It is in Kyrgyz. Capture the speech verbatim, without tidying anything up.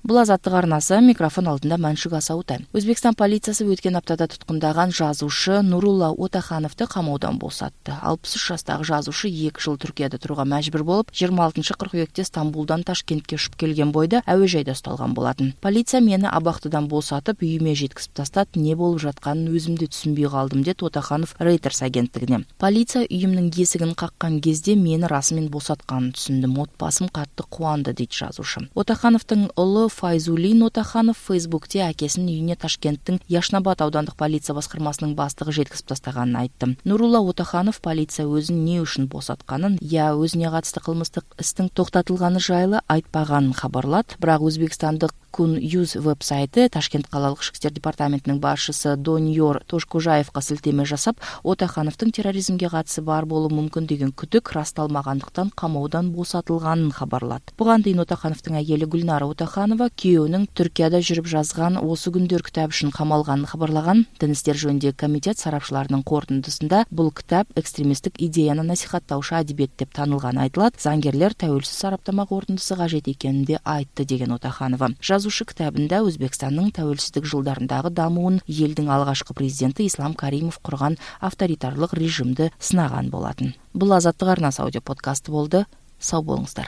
Бул Азаттык арнасы, микрофон алдында Маншук Асаутай. Өзбекстан полициясы өткен аптада туткундаган жазуучу Нурулла Отахановду камоодон босатты. алпыс үч жаштагы жазуучу эки жыл Түркияда турууга мажбур болуп, жыйырма алтынчы кыркүйөктө Стамбулдан Ташкентке учуп келген бойдо әуе жайда ушталган болатын. Полиция мени абактыдан босатып, үйүмө жеткизип тастат, не болуп жатканын өзүм да түшүнбөй калдым, деп Отаханов Reuters агенттигине. Полиция үйүмдүн эсигин каккан кезде мени расмын босатканын түшүндүм. Отбасым катты кубанды, дейт жазуучу. Отахановдун улу Файзулин Отаханов Фейсбукте акесинин үйүнө Ташкенттин Яшнабад аудандык полиция баскармасынын баштыгы жеткизип тастаганын айтты. Нурулла Отаханов полиция өзүн не үчүн босатканын, я өзүнө катыштуу кылмыстык истин токтотулганы жайлы айтпаганын кабарлат. Бирок Өзбекстандык Kun Юз веб-сайты Ташкент калалык ишки иштер департаментинин башчысы Доньор Тошкужаевга силтеме жасап, Отахановдун терроризмге катысы бар болушу мүмкүн деген күтүк расталмагандыктан камоодон босотулганын кабарлат. Буга дейин Отахановдун айели Гүлнара Отаханова күйөөнүн Түркияда жүрүп жазган осы күндөр китабы үчүн камалганын кабарлаган. Дин иштер жөнүндөгү комитет сарапчыларынын корутундусунда бул китап экстремисттик идеяны насихаттаучу адебиет деп танылганы айтылат. Заңгерлер тәуелсиз сараптама корутундусу кажет экенин да айтты, деген Отаханова. Жазуучу китабында Өзбекстандын тәуелсиздик жылдарындагы дамуун, элдин алгачкы президенти Ислам Каримов курган авторитарлык режимди сынаган болатын. Бул Азаттык арнасы аудио подкасты болду. Сау болуңуздар.